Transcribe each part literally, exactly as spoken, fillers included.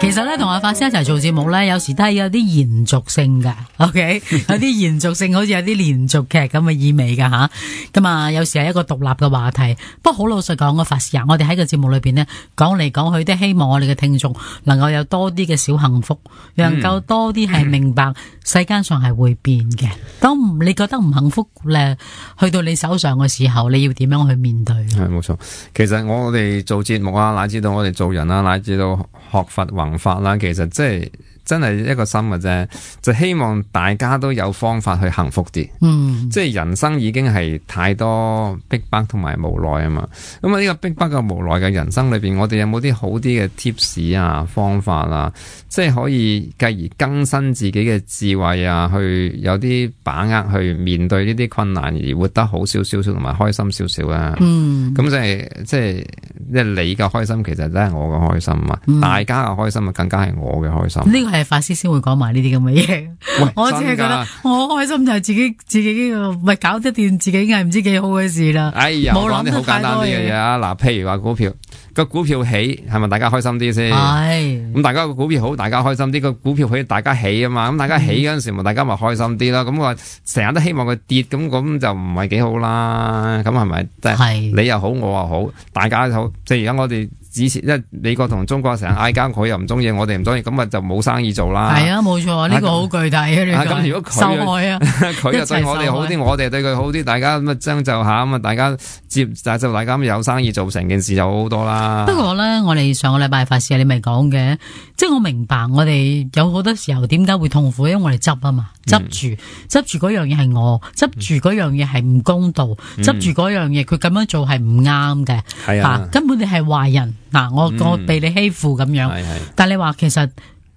其實咧，同阿法師一齊做節目咧，有時都係有啲延續性噶 ，OK， 有啲延續性，好似有啲連續劇咁嘅意味噶吓。咁啊，有時係一個獨立嘅話題。不過好老實講，個法師啊，我哋喺個節目裏邊呢，講嚟講去，都希望我哋嘅聽眾能夠有多啲嘅小幸福，能夠多啲係明白世間上係會變嘅。當你覺得唔幸福咧，去到你手上嘅時候，你要點樣去面對？係冇錯。其實我哋做節目啊，乃至到我哋做人啊，乃至到學佛弘法啦，其實即係真係一個心嘅啫，就希望大家都有方法去幸福啲。嗯，即係人生已經係太多逼迫同埋無奈啊嘛。咁啊呢個逼迫嘅無奈嘅人生裏邊，我哋有冇啲好啲嘅 tips 啊、方法啊，即係可以繼而更新自己嘅智慧啊，去有啲把握去面對呢啲困難而活得好少少同埋開心少少啊。嗯，咁即係即係即係你嘅開心，其實都係我嘅開心啊。嗯、大家嘅開心啊，更加係我嘅開心。呢個係法師先會講埋呢啲咁嘅嘢，我只係覺得我開心就係自己自己呢個咪搞得掂自己係唔知幾好嘅事啦。哎呀，冇諗啲好簡單啲嘅嘢啊！嗱，譬如話股票個股票起，係咪大家開心啲先？係咁，大家個股票好，大家開心啲。個股票起，大家起啊嘛。咁大家起嗰陣時，咪、嗯、大家咪開心啲啦。咁我成日都希望佢跌，咁咁就唔係幾好啦。咁係咪？即係你又好，我又好，大家好。即係而家我哋。之前，因為美國同中國成日嗌交，佢又唔中意，我哋唔中意，咁啊就冇生意做啦。係啊，冇錯，呢、這個好具體啊！咁如果佢受害啊，佢又對我哋好啲，我哋對佢好啲，大家咁啊將就下，咁啊大家接就大家有生意做，成件事就好好多啦。不過咧，我哋上個禮拜法師你咪講嘅，即係我明白我哋有好多時候點解會痛苦，因為我哋執啊嘛，執住執住嗰樣嘢係我，執住嗰樣嘢係唔公道，執住嗰樣嘢佢咁樣做係唔啱嘅，係啊，根本你係壞人。嗱，我我被你欺負咁樣，嗯、但係你話其實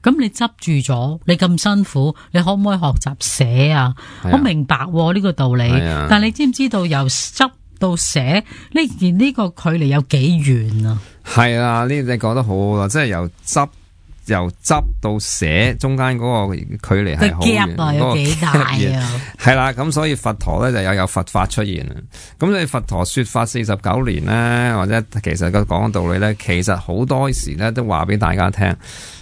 咁你執住咗，你咁辛苦，你可唔可以學習寫啊？我明白呢、啊這個道理，但係你知唔知道由執到寫呢件呢個距離有幾遠啊？係啊，呢你講得好好啦，即係由執。由執到寫中間嗰個距離係好遠，個 gap 有幾大啊？係啦，咁所以佛陀咧就有有佛法出現啊。咁你佛陀說法四十九年咧，或者其實個講道理咧，其實好多時咧都話俾大家聽，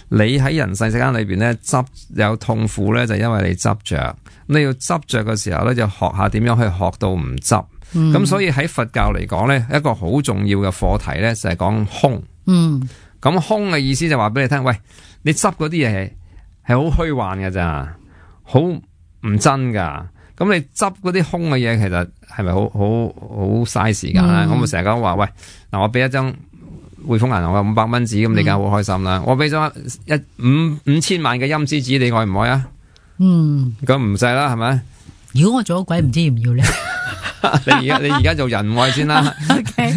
你喺人世世間裏邊咧執有痛苦咧，就因為你執着。你要執着嘅時候咧，就學下點樣去學到唔執。咁、嗯、所以喺佛教嚟講咧，一個好重要嘅課題咧就係講空。嗯。咁空嘅意思就話俾你聽，喂，你執嗰啲嘢係好虛幻嘅咋，好唔真噶。咁你執嗰啲空嘅嘢，其實係咪好好好嘥時間咧？我咪成日講話，喂，嗱，我俾一張匯豐銀行嘅五百蚊紙，咁你梗係好開心啦。嗯、我俾咗一五五千萬嘅陰司紙，你愛唔愛啊？嗯，咁唔使啦，係咪？如果我做咗鬼，唔知要唔要咧？你而家你而家做人唔愛先啦。OK，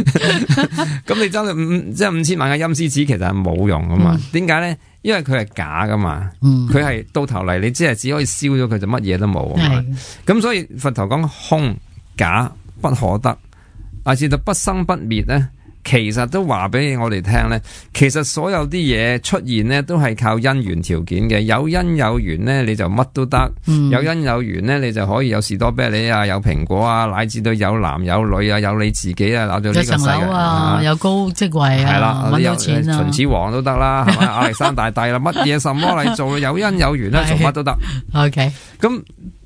咁你真係五即係五千萬嘅陰司紙，其實係冇用噶嘛？點解咧？因為佢係假噶嘛。佢係、嗯、到頭嚟，你只係只可以燒咗佢，就乜嘢都冇啊嘛。咁所以佛陀講空假不可得，乃至到不生不滅咧。其實都話俾我哋聽咧，其實所有啲嘢出現咧，都係靠因緣條件嘅。有因有緣咧，你就乜都得；嗯、有因有緣咧，你就可以有士多啤梨啊，有蘋果啊，乃至到有男有女啊，有你自己啊，攞到呢個世界。有層樓啊，有高職位啊，係啦，搵到錢啊，秦始皇都得啦，係咪？亞歷山大帝啦，乜嘢什麼嚟做？有因有緣咧，做乜都得。OK，咁。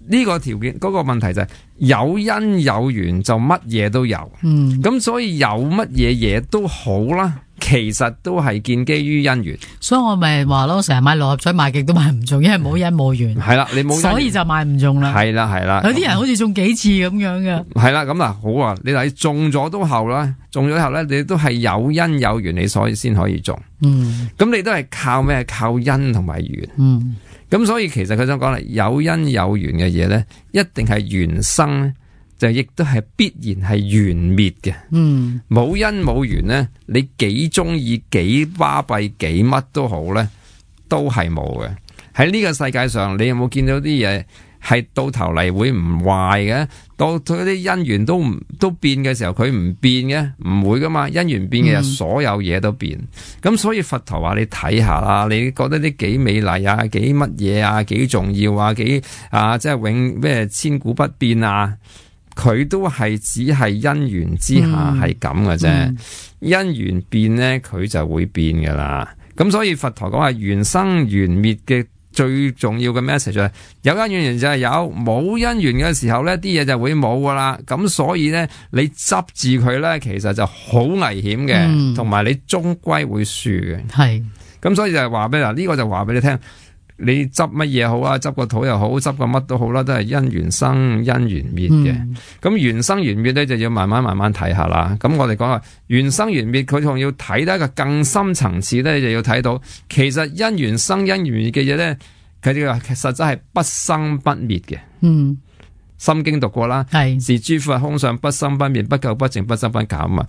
呢個條件嗰、那個問題就係、是、有因有緣就乜嘢都有，嗯，咁所以有乜嘢嘢都好啦，其實都係建基於因緣。所以我咪話咯，成日買六合彩買極都買唔中，因為冇因冇緣。係啦，你冇因，所以就買唔中啦。係啦係啦，有啲人好似中幾次咁樣嘅。係啦，咁嗱好啊，你睇中咗都後啦，中咗後咧，你都係有因有緣，你所以先可以中。嗯，咁你都係靠咩？靠因同埋緣。嗯。咁所以其實佢想講啦，有因有緣嘅嘢咧，一定係緣生咧，就亦都係必然係緣滅嘅。嗯，冇因冇緣咧，你幾中意幾巴閉幾乜都好咧，都係冇嘅。喺呢個世界上，你有冇見到啲嘢係到頭嚟會唔壞嘅？到佢啲因緣都唔都變嘅時候，佢唔變嘅，唔會噶嘛。因緣變嘅，所有嘢都變。咁、嗯、所以佛陀話你睇下啦，你覺得啲幾美麗啊，幾乜嘢啊，幾重要啊，幾啊，即係永咩千古不變啊，佢都係只係因緣之下係咁嘅啫。嗯嗯、因緣變咧，佢就會變噶啦。咁所以佛陀講係緣生緣滅嘅最重要嘅 message 就係有因緣就係有，冇因緣嘅時候咧，啲嘢就會冇噶啦。咁所以咧，你執住佢咧，其實就好危險嘅，同埋、嗯、你終歸會輸嘅。係是，咁所以就係話俾嗱呢個就話俾你聽，你執乜嘢好啊？執個土又好，執個乜都好啦，都係因緣生因緣滅嘅。咁緣、嗯、生緣滅咧，就要慢慢慢慢睇下啦。咁我哋講話緣生緣滅，佢仲要睇得一個更深層次咧，就要睇到其實因緣生因緣滅嘅嘢咧，佢哋話實質係不生不滅嘅。嗯，心經讀過啦，係是諸法空相，不生不滅，不垢不淨，不增不減啊！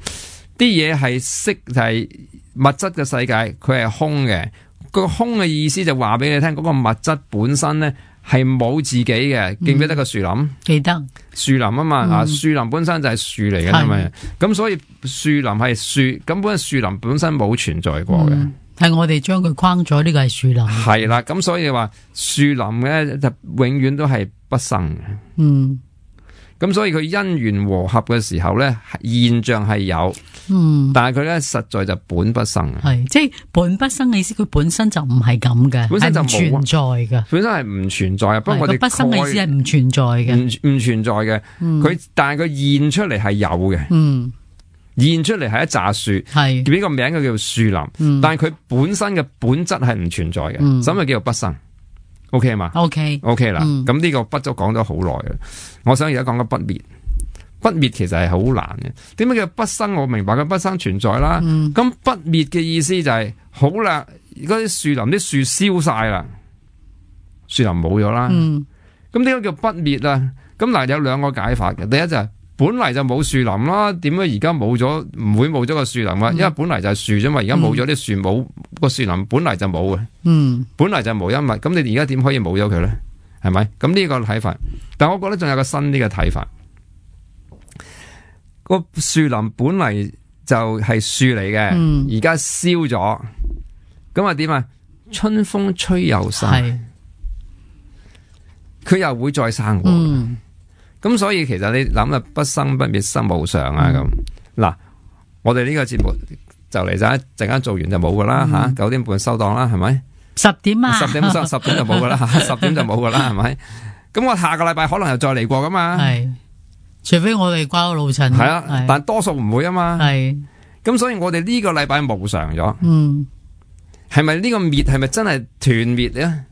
啲嘢係色係物質嘅世界，佢係空嘅。個空嘅意思就話俾你聽，嗰、那個物質本身咧係冇自己嘅。記唔記得個樹林？記得樹林啊嘛，嗯、啊樹林本身就係樹嚟嘅，係咪？咁所以樹林係樹，咁本樹林本身冇存在過嘅，係、嗯、我哋將佢框咗，呢個係樹林。係啦，咁所以話樹林咧就永遠都係不生嘅。嗯。咁所以佢因緣和合嘅時候咧，現象係有，嗯，但係佢咧實在就本不生，係即係本不生嘅意思，佢本身就唔係咁嘅，本身就唔存在嘅，本身係唔存在啊。不過我哋不生嘅意思係唔存在嘅，唔唔存在嘅，佢、嗯、但係佢現出嚟係有嘅，嗯，現出嚟係一紮樹，係俾個名佢叫樹林，嗯、但係佢本身嘅本質係唔存在嘅，嗯、所以咪叫做不生。O K 嘛 ？O K O K 啦，咁呢個不都講咗好耐啦。我想而家講個不滅，不滅其實係好難嘅。點解叫不生？我明白佢不生存在啦。咁、嗯、不滅嘅意思就係、是、好啦，嗰啲樹林啲樹燒晒啦，樹林冇咗啦。咁點解叫不滅啊？咁嗱有兩個解法嘅。第一就係、是、本嚟就冇樹林啦，點解而家冇咗？唔會冇咗個樹林啊？嗯、因為本嚟就係樹啫嘛，而家冇咗啲樹，冇個樹林本嚟就冇嘅。嗯，本嚟就無一物，咁你而家點可以冇咗佢咧？係咪？咁呢個睇法，但我覺得仲有個新啲嘅睇法。個樹林本嚟就係樹嚟嘅，而家燒咗，咁啊點啊？春風吹又生，佢是又會再生過。咁、嗯、所以其實你諗啊，不生不滅，生無常啊咁。嗱、嗯，我哋呢個節目就嚟就一陣間做完就冇噶啦吓，九、嗯啊、點半收檔啦，係咪？十點啊，十點十十點就冇噶啦，十點就冇噶啦，係咪？咁我下個禮拜可能又再嚟過噶嘛？係，除非我哋掛個路程。係啊，是但多數唔會啊嘛。係，咁所以我哋呢個禮拜無常咗。嗯，係咪呢個滅係咪真係斷滅咧？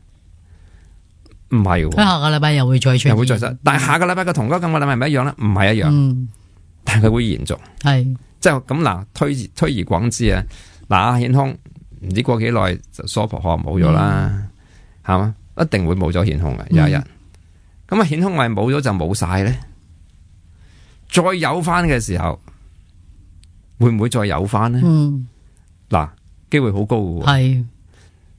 唔係，佢下個禮拜又會再出，又會再出。但係下個禮拜嘅同嗰個禮拜係咪一樣咧？唔係一樣。嗯，但係佢會延續。係是，即係咁嗱，推推而廣之啊，嗱阿顯空。唔知過幾耐就娑婆可能冇咗啦，係嘛、嗯？一定會冇咗顯空嘅有一日。咁啊顯空係冇咗就冇晒咧，再有翻嘅時候，會唔會再有翻咧？嗱、嗯，機會好高嘅喎。係，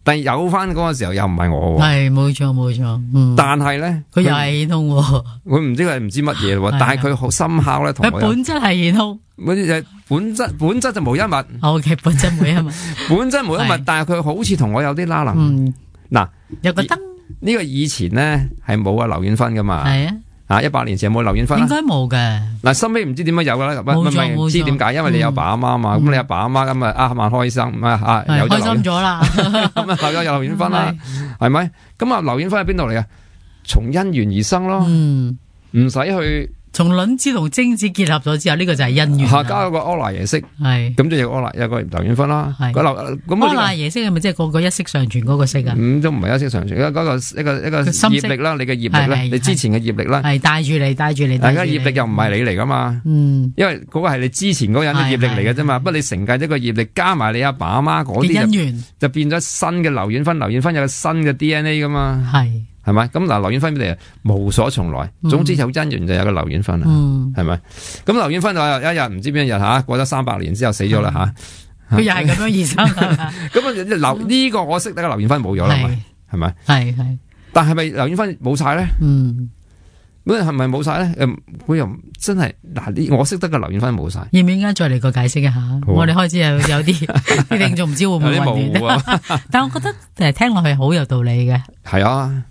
但係有翻嗰個時候又唔係我喎。係，冇錯冇錯。嗯、但係咧，佢又係顯空喎。佢唔知佢係唔知乜嘢喎，但係佢好深刻咧，同佢本質係顯空。嗰啲就本質，本質就無一物。O K，本質無一物，本質無一物，但係佢好似同我有啲拉能。嗱，有個燈，呢個以前咧係冇啊劉遠芬噶嘛。係啊，啊一百年前有冇劉遠芬？應該冇嘅。嗱，收尾唔知點解有噶啦，冇錯冇錯。唔知點解，因為你有爸阿媽嘛，咁你阿爸阿媽咁啊啊萬開心啊啊，有開心咗啦，咁啊有有劉遠芬啦，係咪？咁啊劉遠芬喺邊度嚟啊？從因緣而生咯，唔使去。從卵子同精子結合咗之後，呢、這個就係因緣。下加有個柯那耶識，係咁就有柯那有個劉遠芬啦。係咁柯那耶識係咪即係個個一息尚存嗰個息啊？咁都唔係一息尚存，嗰個一個一個業力啦，你嘅業力啦，你之前嘅業力啦，係帶住你帶住你。大家業力又唔係你嚟噶嘛？嗯，因為嗰個係你之前嗰人嘅業力嚟嘅啫嘛。不過你承繼咗個業力，加埋你阿爸阿媽嗰啲因緣，就變咗新嘅劉遠芬。劉遠芬有個新嘅 D N A 噶嘛？係。係咪？咁嗱，劉遠芬嚟無所從來，總之有因緣就有個劉遠芬啦，係咪？咁劉遠芬就有一日唔知邊一日吓，過咗三百年之後死咗啦吓，佢又係咁樣而生。咁啊，劉呢個我識得嘅劉遠芬冇咗啦，係咪？係係，但係咪劉遠芬冇晒咧？嗯，咁係咪冇晒咧？誒，佢又真係嗱，呢我識得嘅劉遠芬冇晒。要唔要依家再嚟個解釋一下？我哋開始有有啲啲聽眾唔知會唔會混亂，但係我覺得誒聽落去好有道理嘅。係啊。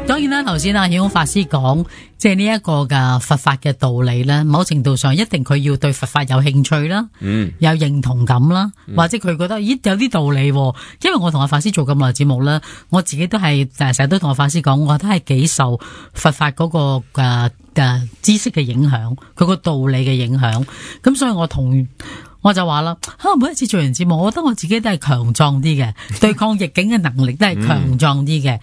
當然啦，頭先阿顯空法師講，即係呢一個嘅佛法嘅道理咧，某程度上一定佢要對佛法有興趣啦，嗯，有認同感啦，嗯、或者佢覺得咦有啲道理，因為我同阿法師做咁耐節目啦，我自己都係成日都同阿法師講，我覺得係幾受佛法嗰、那個誒誒、啊、知識嘅影響，佢個道理嘅影響，咁所以我同。我就話啦，吓每一次做完節目，我覺得我自己都係強壯啲嘅，對抗逆境嘅能力都係強壯啲嘅。嗯、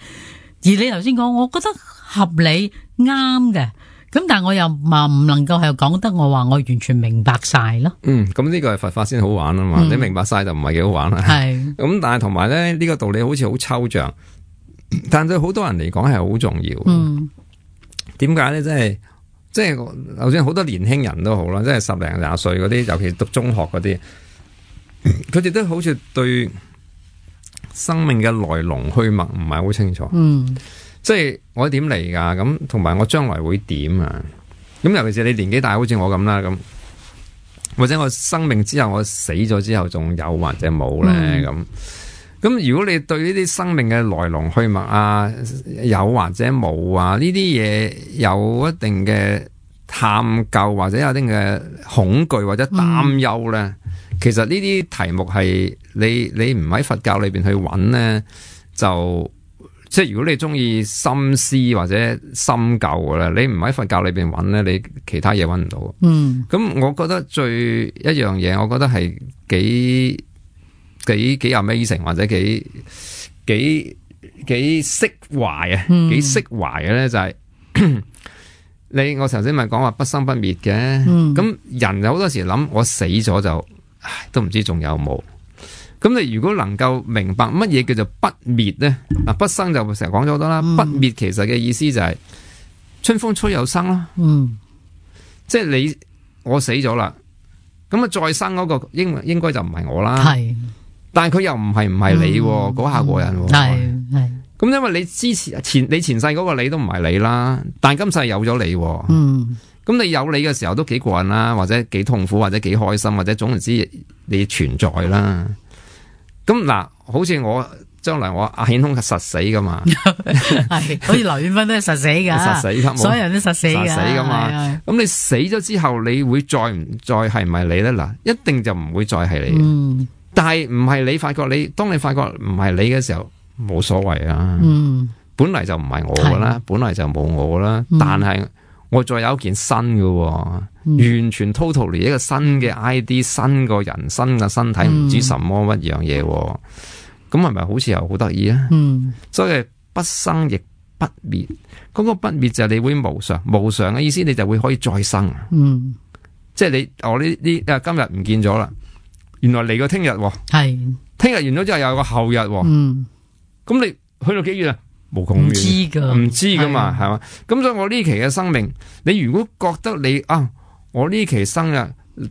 而你頭先講，我覺得合理啱嘅，咁但係我又話唔能夠係講得我話我完全明白晒咯。嗯，咁呢個係佛法先好玩啊嘛，嗯、你明白晒就唔係幾好玩啦。係咁是，但係同埋咧呢、這個道理好似好抽象，但對好多人嚟講係好重要。嗯，點解咧？即係。即係，就算好多年輕人都好啦，即係十零廿歲嗰啲，尤其讀中學嗰啲，佢哋都好似對生命嘅來龍去脈唔係好清楚。嗯，即係我點嚟噶？咁同埋我將來會點啊？咁尤其是你年紀大，好似我咁啦，咁或者我生命之後我死咗之後仲有或者冇咧？咁咁、嗯、如果你對呢啲生命嘅來龍去脈啊，有或者冇啊，呢啲嘢有一定嘅探究或者有一定嘅恐懼或者擔憂咧，嗯、其實呢啲題目係你你唔喺佛教裏邊去揾咧，就即係如果你中意深思或者深究嘅咧，你唔喺佛教裏邊揾咧，你其他嘢揾唔到。嗯，咁我覺得最一樣嘢，我覺得係幾。幾幾 amazing 或者幾幾幾釋懷啊，幾釋懷嘅咧就係、是、你我頭先咪講話不生不滅嘅，咁、嗯、人有好多時諗我死咗就唉都唔知仲有冇，咁你如果能夠明白乜嘢叫做不滅咧，嗱不生就成日講咗好多啦，嗯、不滅其實嘅意思就係春風吹又生啦，嗯，即係你我死咗啦，咁啊再生嗰個應應該就唔係我啦，係。但係佢又唔係唔係你嗰、嗯、下過人，係係咁，因為你之前前你前世嗰個你都唔係你啦，但係今世有咗你，嗯，咁你有你嘅時候都幾過癮啦，或者幾痛苦，或者幾開心，或者總之你存在啦。咁嗱，好似我將來我阿顯空係實死噶嘛，係，好似劉遠芬都係實死噶，實死噶，所有人都實死噶，實死噶嘛。咁你死咗之後，你會再唔再係唔係你咧？嗱，一定就唔會再係你。嗯。但係唔係你發覺你，當你發覺唔係你嘅時候，冇所謂啊。嗯，本嚟就唔係我噶啦，的本嚟就冇我啦。嗯、但係我再有一件新嘅，嗯、完全 totally 一個新嘅 I D，新個人，新嘅身體，唔、嗯、知什麼乜樣嘢。咁係咪好似又好得意啊？嗯，所以不生亦不滅，嗰、那個不滅就係你會無常，無常嘅意思你就會可以再生。嗯，即係你我呢呢啊今日唔見咗啦。原來嚟個聽日，係聽日完咗之後又有個後日，嗯，咁你去到幾遠啊？無窮遠，唔知噶，唔知噶嘛，係嘛？咁所以我呢期嘅生命，你如果覺得你啊，我呢期生日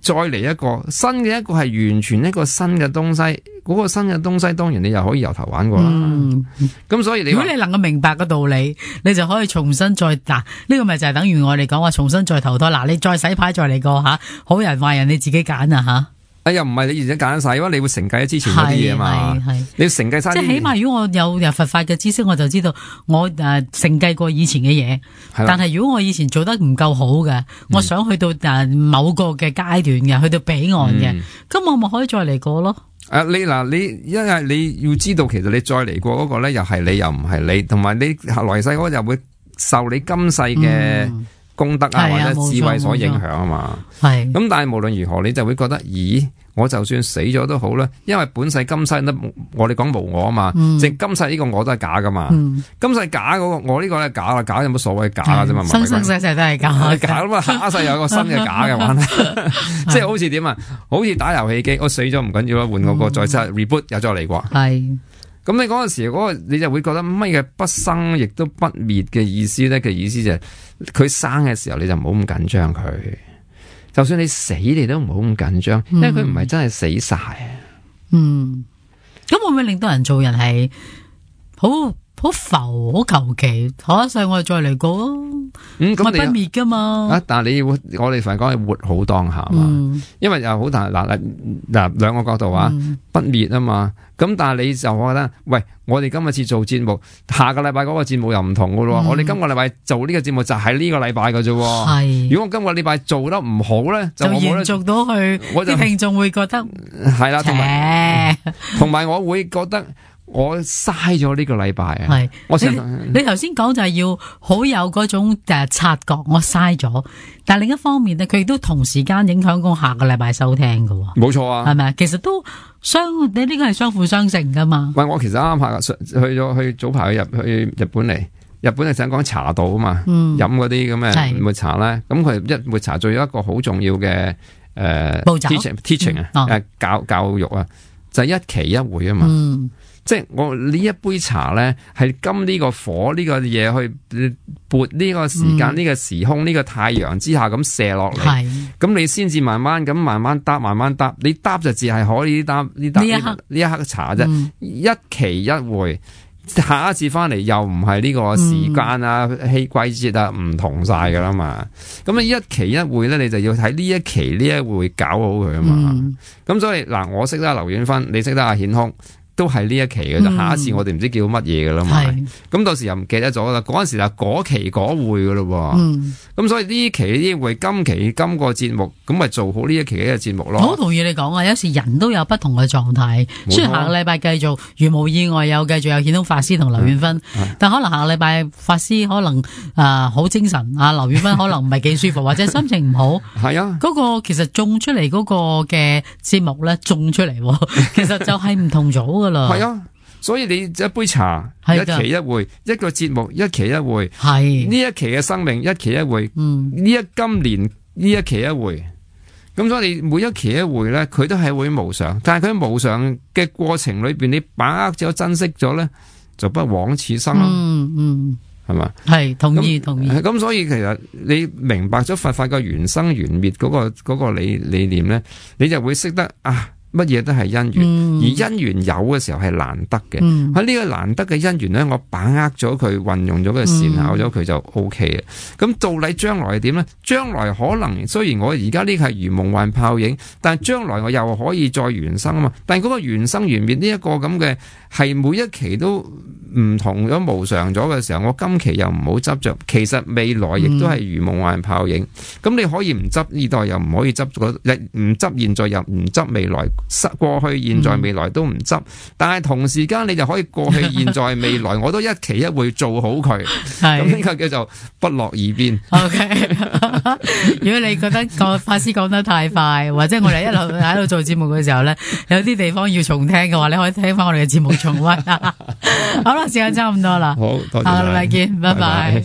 再嚟一個新嘅一個係完全一個新嘅東西，嗰個新嘅東西當然你又可以由頭玩過啦。嗯，咁所以你如果你能夠明白個道理，你就可以重新再嗱，呢個咪就係等於我哋講話重新再投胎嗱，你再洗牌再嚟過吓，好人壞人你自己揀啊吓。哎呀，唔係你而家揀晒，因為你會承繼之前嗰啲嘢嘛，你要承繼晒。即係起碼如果我有有佛法嘅知識，我就知道我誒承繼過以前嘅嘢。的但係如果我以前做得唔夠好嘅，嗯、我想去到誒某個嘅階段嘅，去到彼岸嘅，咁、嗯、我咪可以再嚟過咯。啊，你嗱你，因為你要知道，其實你再嚟過嗰個咧，又係你又唔係你，同埋你來世嗰個又會受你今世嘅。嗯功德啊，或者智慧所影響啊嘛，係咁。但係無論如何，你就會覺得，咦，我就算死咗都好啦，因為本世今世都我哋講無我啊嘛，即係、嗯、今世呢個我都係假噶嘛，嗯、今世假嗰、那個我呢個咧假啦，假有乜所謂假噶啫嘛，生生世世都係假，假咁啊，下一世有個新嘅假嘅玩，即係好似點啊，好似打遊戲機，我死咗唔緊要啦，換個個再出 reboot 又再嚟過，係。咁你嗰陣時嗰個你就會覺得乜嘢不生亦都不滅嘅意思咧？嘅意思就係佢生嘅時候你就唔好咁緊張佢，就算你死你都唔好咁緊張，因為佢唔係真係死晒啊。嗯，咁會唔會令到人做人係好好好浮，好求其，下一世我哋再嚟過咯。嗯，咁不滅噶嘛。啊，但係你要我哋凡講係活好當下嘛，嗯、因為又好大嗱嗱嗱兩個角度啊，嗯、不滅啊嘛。咁但係你就覺得，喂，我哋今日次做節目，下個禮拜嗰個節目又唔同噶咯。嗯、我哋今個禮拜做呢個節目就喺呢個禮拜噶啫。係，如果我今個禮拜做得唔好咧，就延續到去，我啲聽眾會覺得係啦，同埋同埋我會覺得。我嘥咗呢個禮拜啊！係，我成你頭先講就係要好有嗰種誒察覺，我嘥咗。但係另一方面咧，佢亦都同時間影響過下個禮拜收聽噶。冇錯啊，係咪啊？其實都相你呢個係相輔相成噶嘛。喂，我其實啱啱下去咗去早排去入去日本嚟，日本係想講茶道啊嘛，飲嗰啲咁嘅抹茶咧。咁佢一抹茶做咗一個好重要嘅誒 teaching teaching 啊，誒教教育啊，就係一期一會啊嘛。嗯。即係我呢一杯茶咧，係今呢個火呢個嘢去撥呢個時間呢、嗯、個時空呢、這個太陽之下咁射落嚟，咁你先至慢慢咁慢慢搭慢慢搭，你搭就只係可以搭呢搭呢一刻茶啫，嗯、一期一會，下一次翻嚟又唔係呢個時間啊、氣、嗯、季節啊唔同晒噶啦嘛，咁你一期一會咧，你就要睇呢一期呢一會搞好佢啊嘛，咁、嗯、所以嗱，我識得阿劉遠芬，你識得阿顯空。都係呢一期嘅，就、嗯、下一次我哋唔知叫乜嘢噶啦嘛，咁到時又唔記得咗啦。嗰陣時就嗰期嗰會噶咯，咁、嗯、所以呢期呢會，今期今個節目，咁咪做好呢一期嘅節目咯。我好同意你講啊，有時人都有不同嘅狀態，雖然下個禮拜繼續如無意外有繼續有顯通法師同劉遠芬，嗯、但可能下個禮拜法師可能啊好、呃、精神，啊劉遠芬可能唔係幾舒服，或者心情唔好。係啊，嗰個其實種出嚟嗰個嘅節目咧，種出嚟，其實就係唔同咗。係啊，所以你一杯茶一期一會，一個節目一期一會，係呢一期嘅生命一期一會，嗯，呢一今年呢一期一會，咁所以你每一期一會咧，佢都係會無常，但係佢無常嘅過程裏邊，你把握咗珍惜咗咧，就不枉此生咯。嗯嗯，係嘛？係同意同意。咁所以其實你明白咗佛法嘅緣生緣滅嗰個嗰個理理念咧，你就會識得啊。乜嘢都係因緣，嗯、而因緣有嘅時候係難得嘅。喺呢、嗯、個難得嘅因緣咧，我把握咗佢，運用咗佢，善巧咗佢就 O K 嘅。咁到底將來係點咧？將來可能雖然我而家呢個係如夢幻泡影，但係將來我又可以再緣生啊嘛。但係嗰個緣生緣滅呢一個咁嘅係每一期都唔同咗無常咗嘅時候，我今期又唔好執着。其實未來亦都係如夢幻泡影。咁、嗯、你可以唔執呢代，又唔可以執嗰唔執現在，又唔執未來。過去、現在、未來都唔執，但係同時間你就可以過去、現在、未來，我都一期一會做好佢。係咁呢個叫做不落二邊。O K， 如果你覺得個法師講得太快，或者我哋一路喺度做節目嘅時候咧，有啲地方要重聽嘅話，你可以聽翻我哋嘅節目重溫。好啦，時間差唔多啦，好，多謝，下個禮拜見，拜拜。拜拜。